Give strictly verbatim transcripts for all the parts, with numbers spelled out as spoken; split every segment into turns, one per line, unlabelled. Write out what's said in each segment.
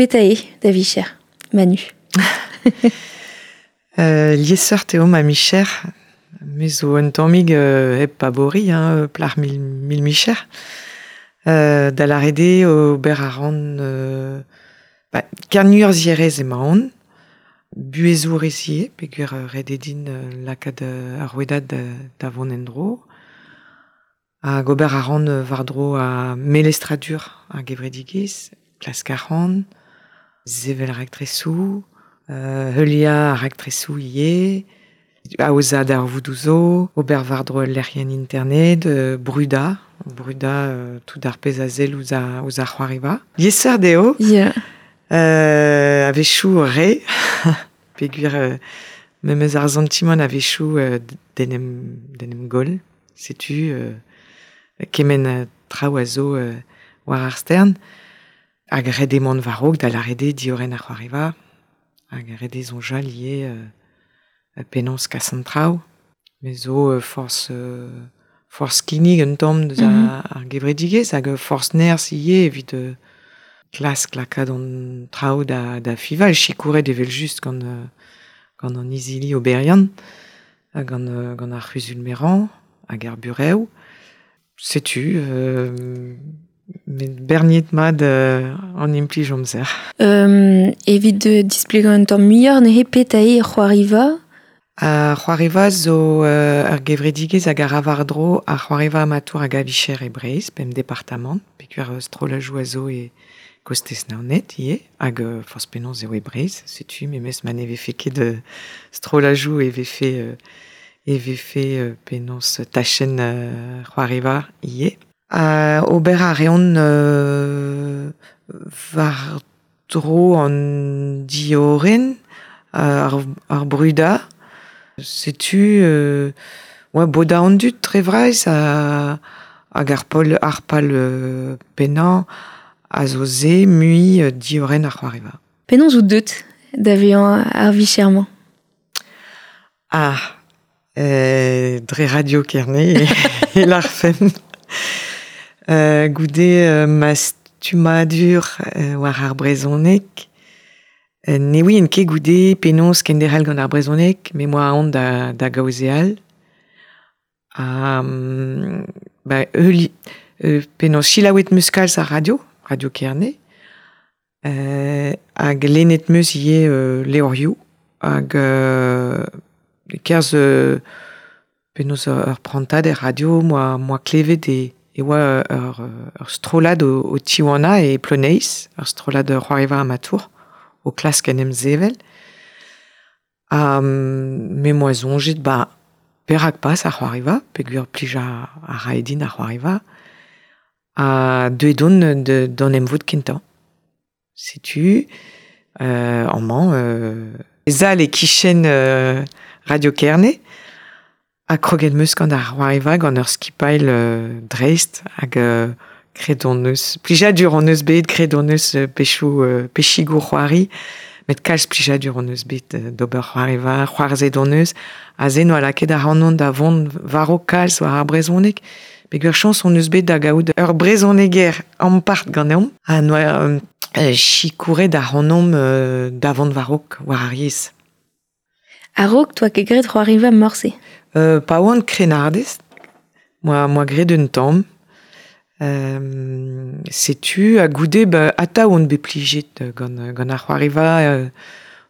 Petra eo da vicher, Manu?
euh, Liesseurt eo ma micher. Me zo un tammig euh, hep pabori, hein, plac'h mil, mil micher. Euh, da lâret eo ober a ran euh, ba, kernurzhierez emaon, buhezourez ivez, peogwir ret eo din lakaat ar rouedad da, da vont en-dro. Hag ober a ran war-dro a melestradur ar gevredigezh, klask ar ran, sevel raktresoù, euh, heuliañ ar raktresoù ivez, aozañ darvoudoù zo, ober war-dro ul lec'hienn internet, euh, brudañ, brudañ euh, tout ar pezh a sell ouzh ar, ouzh ar c'hoariva. Liesseurt eo.
Ya.
Euh, a-wechoù re, peogwir euh, memes ar santimant a-wechoù euh, d'en em, d'en em goll, setu euh, kement traoù a zo euh, war ar stern. Hag ret eo mont war-raok da lâret eo diorren ar c'hoariva, hag ret eo soñjal ivez euh, penaos kas an traoù. Me zo euh, forzh euh, forzh kinnig un tamm deus mm -hmm. ar gevredigezh hag forzh nerzh ivez evit euh, klask lakaat an traoù da, da fival, sikouret evel-just gant, euh, gant an izili oberiant, hag gant, euh, gant ar c'huzul-merañ, hag ar burev. Setu, euh, met berniet mat euh, an implij amzer.
Um, evit euh, displegañ un tamm muioc'h neuze petra eo c'hoariva?
Ar c'hoariva zo euh, ur gevredigezh hag a ra war-dro ar c'hoariva amatour hag a-vicher e Breizh, pemp departamant, peogwir strollajoù a zo e kostez Naoned ivez, hag euh, forzh penaos eo e Breizh, setu memes ma ne vefe ket euh, strollajoù e vefe euh, e vefe euh, penaos tachenn euh, c'hoariva ivez. Uh, ober a reont euh, war-dro an diorren, ar, ar brudañ. Setu euh, oa bodañ an dud dre vras ha, hag ar pol ar pal euh, pennañ a zo se mui euh, diorren ar c'hoariva.
Penaos out deut da vezañ ar vicher-mañ?
Ah, euh, dre Radio Kerne e lârfen. Euh, goude euh, ma stummadur euh, war ar brezhoneg, euh, ne ouien ket goude penaos kenderc'hel gant ar brezhoneg, me 'moa aon da, da gaozeal. Ha um, ba, euli, euh, penaos selaouet 'meus kalz ar radio, Radio Kerne, euh, hag lennet 'meus ivez euh, levrioù, hag euh, e-kerzh euh, penaos ur prantad er radio, 'moa, 'moa klevet e e oa ur, ur strollad o, o tiwanañ e Ploneiz, ur strollad c'hoariva amatour, o klask en em sevel. Ha me 'moa soñjet, ba, perak pas ar c'hoariva, peogwir plij a, a rae din ar c'hoariva. Ha deuet on de, d'an emvod kentañ. Setu, euh, amañ, euh, sal e-kichen euh, Radio Kerne, ha kroget 'meus gant ar c'hoariva gant ur skipailh euh, dreist hag euh, graet hon eus, plijadur hon eus bet, graet hon eus pezhioù euh, pezhigoù c'hoari, met kalz plijadur hon eus bet euh, d'ober c'hoariva, c'hoarzhet hon eus, aze 'noa lakaet ac'hanon da vont war-raok kalz war ar brezhoneg, peogwir chañs hon eus bet da gaout ur brezhoneger ampart ganeomp, ha 'noa euh, sikouret ac'hanomp euh, da vont war-raok war ar yezh.
A-raok 'toa ket graet c'hoariva morse?
Euh, pa oan krennardez, 'moa, 'moa graet un tamm. Euh, setu ha goude ba, atav on bet plijet gant, gant ar c'hoariva euh,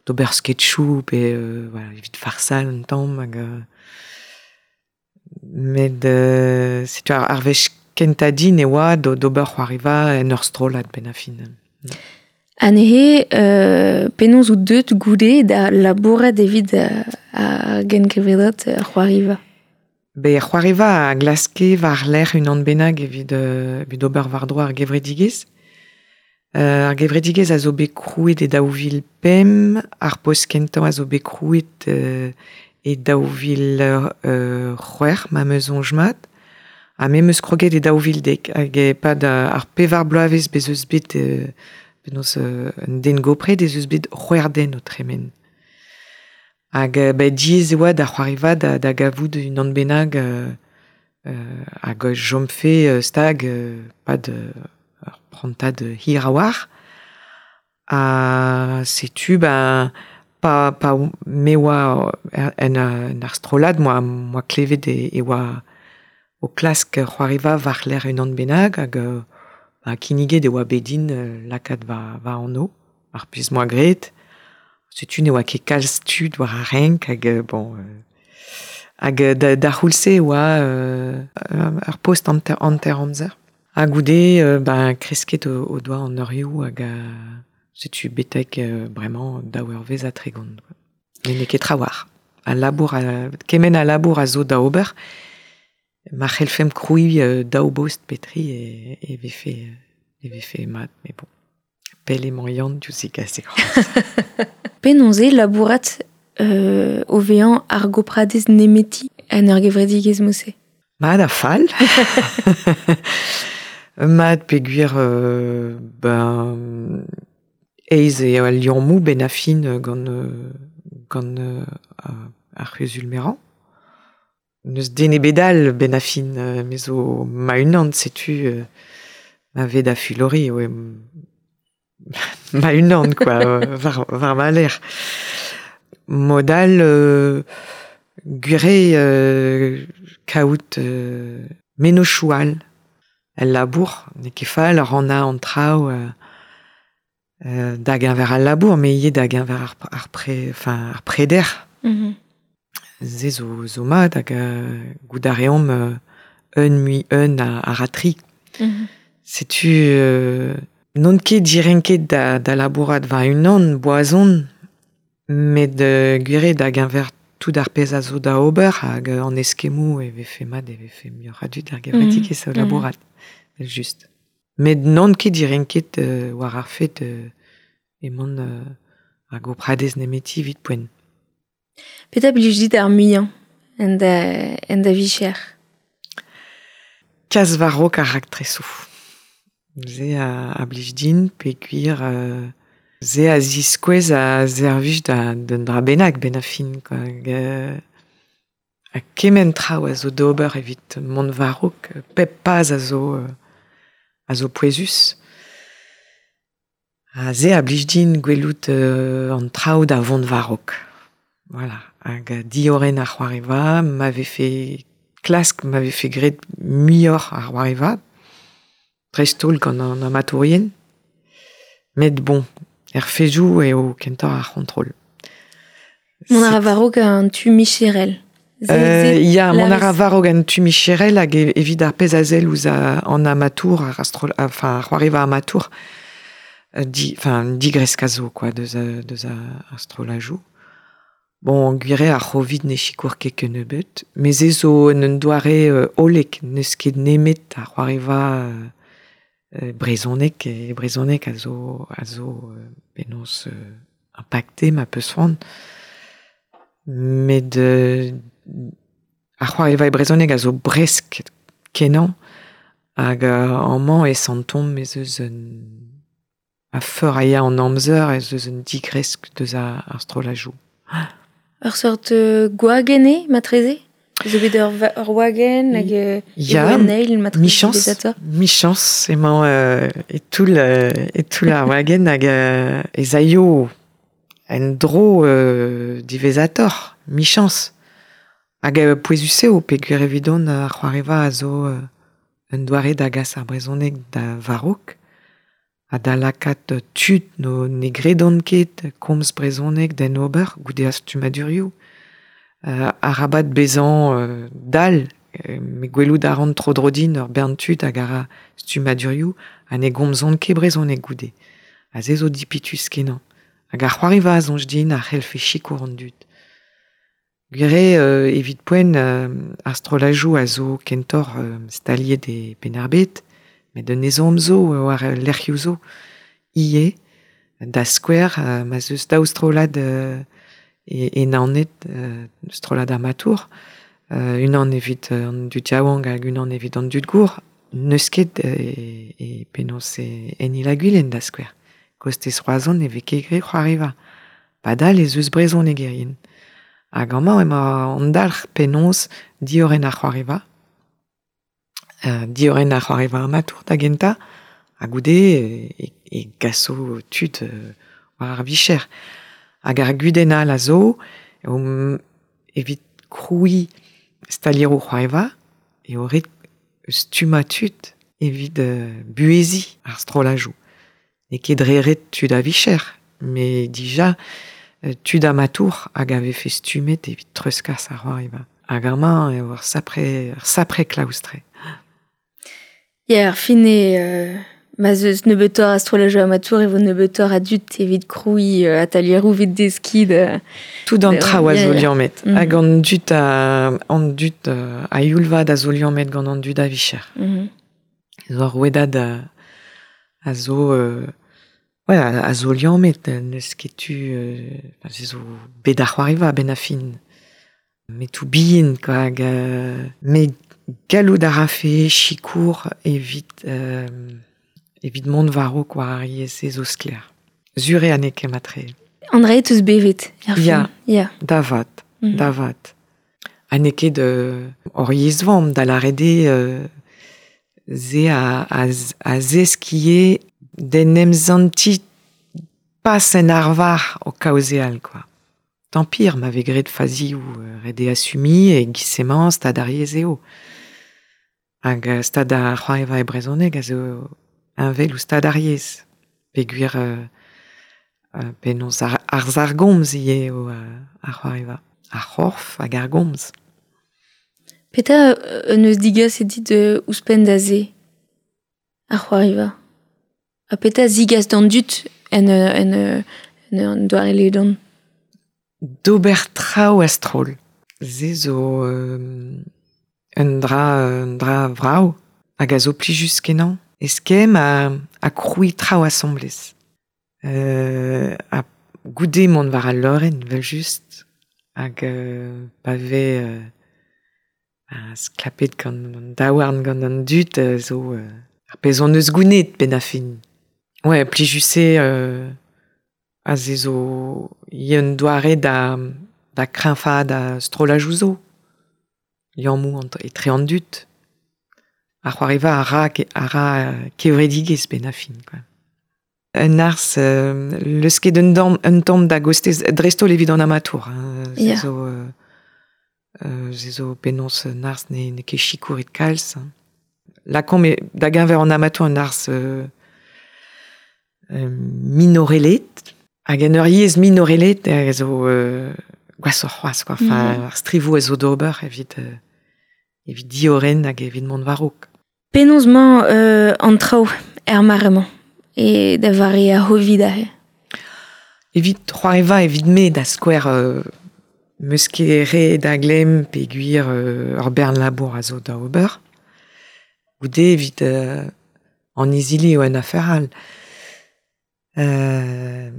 d'ober sketchoù pe euh, voilà, evit farsal un tamm hag euh, met euh, setu ar, ar wech kentañ din e oa d'ober c'hoariva en ur strollad benn ar fin.
Ha neuze, euh, penaos out deut goude da labourat evit ar gengevredad c'hoariva?
Be c'hoariva a glaske war-lerc'h unan bennak evit, euh, evit ober war-dro ar gevredigezh. Euh, ar gevredigezh a zo bet krouet e daou vil pemp, ar post kentañ a zo bet krouet euh, e daou vil euh, c'hwec'h, ma 'm eus soñj mat. Ha me 'm eus kroget e daou vil dek, hag e-pad ar pevar bloavezh bez eus bet euh, penaos euh, un den gopret ez eus bet c'hwec'h den o tremen. Hag euh, ba, diaes e oa da c'hoariva da, da gavout unan bennak euh, euh, hag chomfe euh, stag euh, pad euh, ur prantad hir a-walc'h. Ha setu, ben, pa, pa me oa en, en ar strollad, moa, moa klevet e, e oa o klask c'hoariva war lec'h unan bennak hag ba, kinniget e oa bet din lakaat va, va anv, ar pezh moa graet. Setu ne oa ket kalz tud war ar renk hag bon... Hag da, da c'houlz-se e oa euh, ar post hanter, hanter amzer. Ha goude, euh, ben, kresket o, o doa an eurioù hag a, setu betek euh, bremañ daou eurvezh ha tregont. Met n'eo ket trawalc'h. A labour a, kement a labour a zo da ober, ma c'hellfemp krouiñ euh, daou bost petri e, e vefe, e vefe mat, mais bon. Pell emañ Yann diouzh e gas e
Penaos eo labourat euh, o vezañ ar gopradez nemeti en ur gevredigezh mod-se?
Mat ha fall. Mat peogwir euh, ben, aes eo al liammoù benn ar fin gant, gant euh, ar c'huzul-merañ. N'eus den ebet all benn ar fin, me zo ma-unan, setu euh, ma vez da fulori, oe, ma-unan, quoi, war, war ma lerc'h. Mod all euh, gwir eo euh, kaout euh, mennozhioù all el labour, n'eo ket fall rannañ an traoù euh, euh, da geñver al labour, met ivez da geñver ar, ar, pre, enfin, ar preder.
Mm -hmm.
Se zo, zo mat hag euh, goût a reomp euh, un mui un a, a ratri.
Mm -hmm.
Setu euh, n'on ket direnket da, da labourat va unan, boazon, met euh, gwir eo da geñver tout ar pezh a zo da ober hag an eskemmoù e vefe mat e vefe muioc'h a dud ar gevredigezh mm -hmm. o labourat, mm -hmm. just. Met n'on ket direnket euh, war ar fet euh, emaon euh, ar gopradez nemeti evit poent.
Petra blij dit ar muiañ en da, en da vicher?
Kas war-raok ar raktresoù. Se a, a blij din peogwir euh, se a ziskouez a servij da d'un dra bennak benn ar fin, quoi. Hag, euh, ha kement traoù a zo d'ober evit mont war-raok, pep paz a zo, euh, a zo pouezus. Ha se a blij din gwelout euh, an traoù da vont war-raok. Voilà. Hag diorren ar c'hoariva, ma vefe klask, ma vefe graet muioc'h ar c'hoariva, dreist-holl gant an amatourien. Met bon, er fezoù eo kentoc'h ar c'hontrol.
Mont a ra war-raok an tu micherel.
Euh, ya, mont a ra war-raok an tu micherel hag evit ar pezh a sell ouzh an amatour, ar astrol, enfin, ar c'hoariva amatour, di, enfin, digresk a zo, quoi, deus, deus ar strollajoù. Bon, gwir eo ar c'hovid ne sikour ket kennebeut, met se zo un doare euh, hollek, n'eus ket nemet ar c'hoariva euh, brezhoneg e brezhoneg a zo, a zo euh, penaos euh, impacté ma peus c'hoant. Met euh, ar c'hoariva e brezhoneg a zo bresk kenañ hag euh, amañ e santomp ez eus un a feur a ya an amzer ez eus un digresk deus ar, ar strollajoù.
Ur seurt euh, gwagenn eo, matreze? Zo bet ur, ur wagenn hag euh,
Ya,
e matreze
michañs, michañs emañ euh, e toull, euh, e toull ar wagenn hag euh, ez aio en dro euh, diwezhatoc'h, michañs. Hag euh, pouezus eo peogwir evidon ar c'hoariva a zo euh, un doare da gas ar brezhoneg da war-raok, ha da lakaat tud no ne gredont ket komz brezhoneg d'en ober goude ar stummadurioù. Euh, arabat bezañ euh, dall, euh, met gwelout a ran tro-dro din ur bern tud hag a ra stummadurioù ha ne gomzont ket brezhoneg goude. Ha se zo dipitus kenañ. Hag ar c'hoariva a soñj din a c'hellfe sikour an dud. Gwir eo euh, evit poent euh, ar strollajoù a zo kentoc'h euh, staliet e Penn-ar-Bed, met un ezhomm zo war lec'hioù zo ivez, da skouer, euh, ma 'z eus daou strollad euh, e, e Naoned, euh, strollad amatour, euh, unan evit an dud yaouank hag unan evit an dud gour, n'eus ket e, e penaos e en Il-ha-Gwilen da skouer. Kostez Roazhon e vez ket graet c'hoariva. Padal ez eus brezhonegerien. Hag amañ emañ an dalc'h penaos diorren ar c'hoariva, euh, diorren ar c'hoariva amatour da gentañ, Ha goude e, e gaso tud euh, war ar vicher. Hag ar gudenn all a zo, eo evit kroui stalieroù c'hoariva, eo ret stumma tud evit euh, buhezi ar strollajoù. N'eo ket dre ret tud a vicher, met dija tud amatour hag a vefe stummet evit treuzkas ar c'hoariva. Hag amañ eo ar sapre, ar sapre klaoustre.
Ya, ar fin eo euh, ma 'z eus nebeutoc'h a strollajoù amatour e vo nebeutoc'h a dud evit krouiñ euh, atalieroù evit deskiñ da...
Tout an traoù a zo liammet.
Mm.
Hag an dud a, an dud a youl vat a zo liammet gant an dud a vicher.
Mm -hmm.
Zo ar rouedad a, a zo... Euh, ouais, a, a zo liammet, n'eus ket tu... Euh, enfin, zo bet ar c'hoariva ben a fin. Metoù bihan, quoi, hag, euh, met gallout a rafe sikour evit, euh, evit mont war-raok war ar yezh zo sklaer. Sur eo n'eo ket matre.
An dra eus bevet, er fin.
Ya,
Ya.
da vat,
Mm -hmm.
da vat. Ha n'eo ket euh, hor yezh vamm da lâret eo euh, ze a, a, a zeskiñ d'en em zanti pas en arvar o kaozeal, quoi. Tant pire, ma vez graet fazioù ret eo assumiñ e giz-se-mañ stad ar yezh eo. Hag stad ar c'hoariva e brezhoneg a zo heñvel ouzh stad ar yezh. Peogwir euh, euh, penaos ar, arz ar gomz ivez eo ar c'hoariva. Ar c'horf hag ar gomz.
Petra euh, eus digaset dit euh, ouzhpenn da se ar c'hoariva? Ha petra zigas d'an dud en, en, en, en doare ledan?
D'ober traoù a-stroll. Se zo euh, un dra, un dra vrav hag a zo plijus kenañ. Eskemm a, a krouiñ traoù asambles. Euh, ha goude mont war al leurenn, evel-just, hag euh, pa vez euh, a sklapet gant an daouarn gant an dud euh, zo euh, ar pezh hon eus gounit benn ar fin. Ouais, plijus eo euh, a se zo un doare da, da kreñfaat a strollajoù zo. Liammoù etre an dud. Ar c'hoariva a ra, a ra kevredigezh benn ar fin, quoi. Un arz, euh, leusket un tamm, un tamm da gostez, dreist-holl evit an amatour. Hein, se
Ya.
zo, euh, euh, se zo penaos un arz ne, n'eo ket sikouret kalz. Hein. Lakaomp eo da geñver an amatour un arz euh, euh, minorelet, hag en ur yezh minorelet a zo euh, gwashoc'h c'hoazh, quoi. Enfin,
Mm -hmm.
ar strivoù a zo d'ober evit, euh, evit diorren hag evit mont war-raok.
Penaos 'mañ euh, an traoù er mare-mañ e da vare ar C'hovid aze?
Evit c'hoariva evit me da skouer euh, 'meus ket re da glemm peogwir euh, ur bern labour a zo da ober. Goude evit euh, an izili eo un afer all. Euh,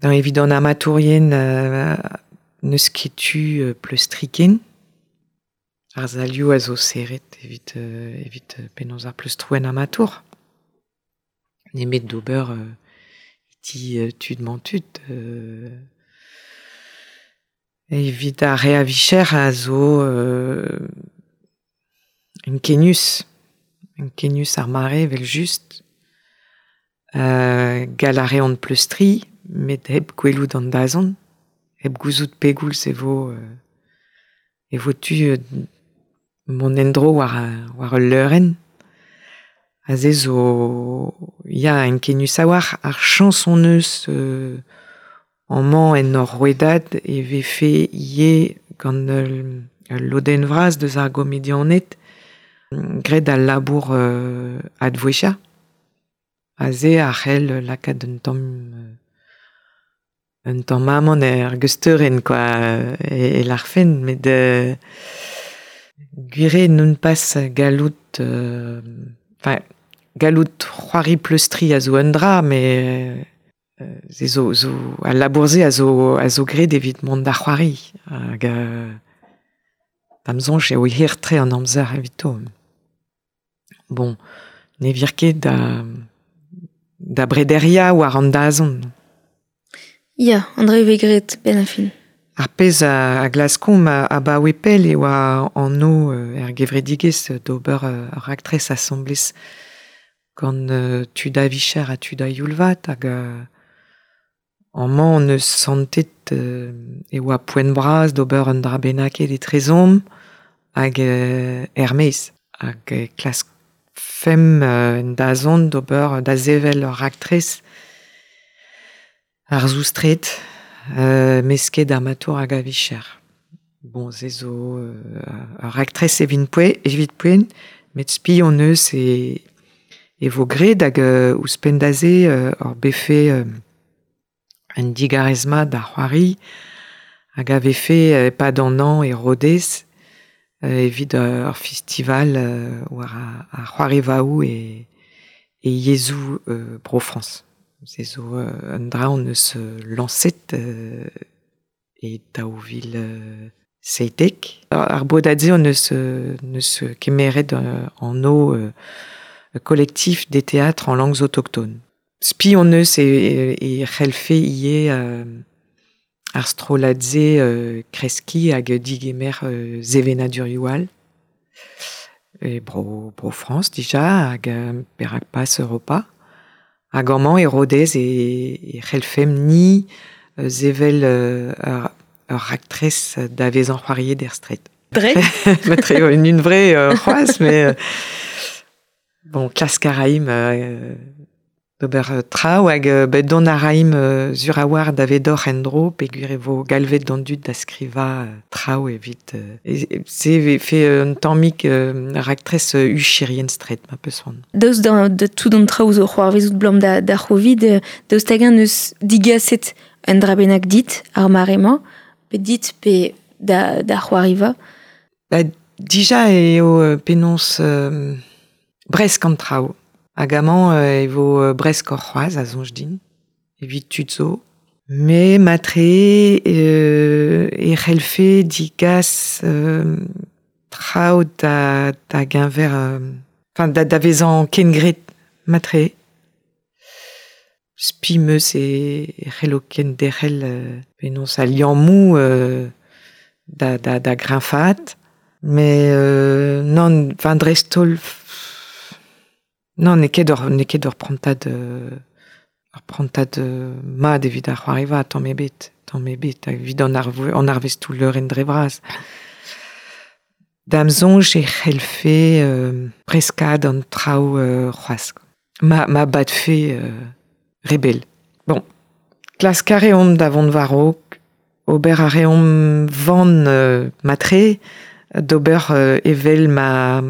dans evit an amatourien euh, n'eus ket tu euh, pleustriñ ken. Ar salioù a zo serret evit, euh, evit penaos ar pleustroù en amatour. Nemet d'ober euh, ti euh, tud mañ tud. Euh, evit ar re a vicher a zo euh, ankenius. Ankenius ar mare evel just. Euh, gall a reont pleustriñ, met hep gwelout an dazont, hep gouzout pegoulz e vo, euh, e vo tu euh, mont en-dro war, war ul leurenn. Aze zo ya ankenius a-walc'h ar chañs hon eus euh, amañ en hor rouedad e vefe ivez gant ul, ul lodenn vras deus ar gomedianed graet al labour euh, advouezhiañ. Aze a c'hell lakaat un tamm un tamm amann er geusteurenn, quoi, e, e larfen, met euh, gwir eo n'on pas gallout euh, enfin, gallout c'hoari pleustriñ a zo un dra, met euh, se zo, zo al labour-se a zo, a zo graet evit mont da c'hoari. Hag euh, da'm soñj eo hir-tre an amzer evito. Bon, ne vir ket da, da brederiañ war an dazont.
Ya, an dra e vez graet benn ar fin.
Ar pezh a, a glaskomp abaoe pell eo an anv er gevredigezh d'ober ur raktres asambles Gant euh, tud a vicher ha tud a youlvat hag euh, amañ on eus santet euh, e oa poent bras d'ober un dra bennaket etrezomp hag euh, er-maez hag euh, klask fem euh, en dazont d'ober da sevel ur raktres ar zoustret euh, mesket amatour hag a vicher. Bon, se zo euh, ur raktres evit poe, evit poent, met spi on eus e, e vo graet hag euh, ouzhpenn da se euh, ur befe euh, un digarez-mat da c'hoari hag a vefe euh, pad an an e Rodez euh, evit euh, ur festival euh, war a, a c'hoarivaoù e, e yezhoù euh, Bro-Frañs. Se zo euh, un dra on eus euh, lañset euh, e daou vil euh, seitek. Ar bodad-se on eus, euh, neus kemeret euh, an o euh, collectif des théâtres en langues autochtones. Spi on eus e, e, e c'hellfe ivez euh, ar strollad-se euh, kreskiñ hag digemer euh, sevenadurioù all. E bro, bro Frañs dija hag euh, perak pas Europa. Hag amañ e Rodez e, e c'hellfemp ni euh, sevel euh, ur, ur raktres da vezañ c'hoariet er straed.
Dre
Matre une, une vraie euh, c'hoazh, mais euh, bon, klask a raimp euh, d'ober euh, traoù hag euh, bet dont a raimp euh, sur a war da vedoc'h en-dro peogwir e vo galvet d'an dud da skrivañ euh, traoù evit euh, e, e, se ve fait un tammig euh, raktres euh, hucherien straed ma peus c'hoant.
Daoust da, da tout an traoù zo c'hoarvezout blam da, da c'hovid, euh, daoust hag-eñ neus digaset un dra bennak dit ar mare-mañ, pe dit pe da, da c'hoariva.
Ba, dija eo euh, penaos euh, bresk an traoù. Hag amañ euh, e vo euh, bresk hor c'hoazh a soñj din, evit tud zo. Me matre euh, e c'hellfe digas euh, traoù da, da geñver... Euh, enfin, da, da vezañ kengret matre. Spi meus e, e c'hello kenderc'hel euh, penaos al liammoù euh, da, da, da greñfaat. Mais euh, nann, enfin, dreist-holl... Non, n'eo ket ur, n'eo ket ur prantad, euh, ur prantad euh, mat evit ar c'hoariva, tamm ebet, tamm ebet, hag evit an arve, an arvestoù leurenn dre vras. Da'm soñj e c'hellfe euh, breskad an traoù euh, c'hoazh. Ma, ma badfe euh, rebel. Bon, klask a reomp da vont war-raok, ober a reomp van euh, matre, d'ober euh, evel ma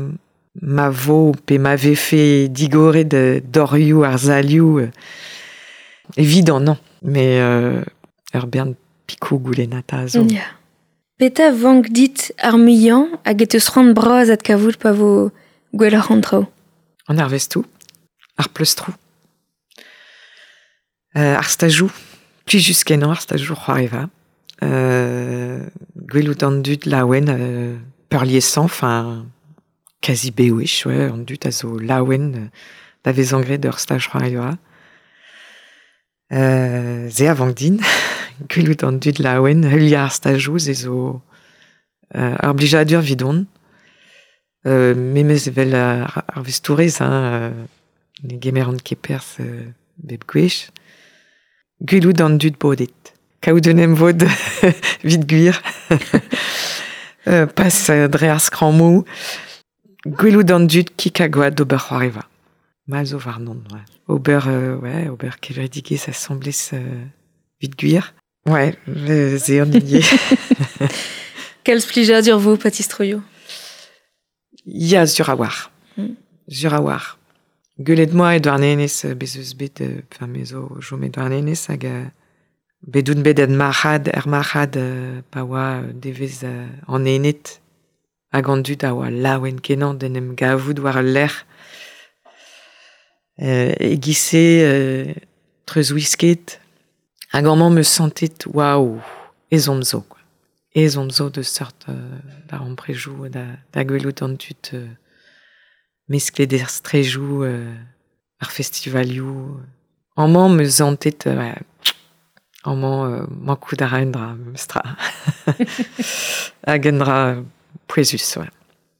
ma vo pe ma vefe digoret de dorioù ar salioù euh, évident non mais euh, ur bern pikoù goulennata zo.
Ya. Petra vank dit ar muiañ hag e teus c'hoant bras adkavout pa vo gwelloc'h an traoù?
An arvestoù, ar pleustroù, euh, ar stajoù, plijus kenañ ar stajoù c'hoariva, euh, gwelout an dud laouen euh, peurliesañ, enfin quasi bewech, ouais, an dud a zo laouen euh, da vezañ graet ur staj c'hoariva. Euh, se a vank din, gwelout an dud laouen, heuliañ ar stajoù, se zo euh, ur blijadur 'vidon. Euh, memes evel ar, ar vestourez, hein, euh, ne gemeran ket perzh euh, bep gwech. Gwelout an dud bodet. Kaout un emvod 'vit gwir. euh, pas euh, dre ar skrammoù. Gwelout an dud kig ha gwad d'ober c'hoariva. Ma zo warnon, ouais. Ober, euh, ouais, ober kevredigezh asambles euh, 'vit gwir. Ouais, euh, se an hini.
Kalz plijadur vo, pa tistroio.
Ya, sur a war.
Mm.
Sur a war. Gwelet 'moa e Douarnenez, euh, bez eus bet, euh, enfin, me zo chom e Douarnenez hag euh, bet oun bet en marc'had, er marc'had euh, pa oa euh, devezh euh, an Ened hag an dud a oa laouen kenañ d'en em gavout war al lec'h. Euh, e-giz-se euh, treuzwisket hag amañ 'm eus santet waouh, ezhomm zo, quoi. Ezhomm zo deus seurt euh, darempredoù da, da gwelout an dud euh, mesklet er straedoù euh, ar festivalioù. Amañ 'm eus santet euh, ouais, amañ euh, mankout a ra un dra, memestra. Hag un dra pouezus, ouais.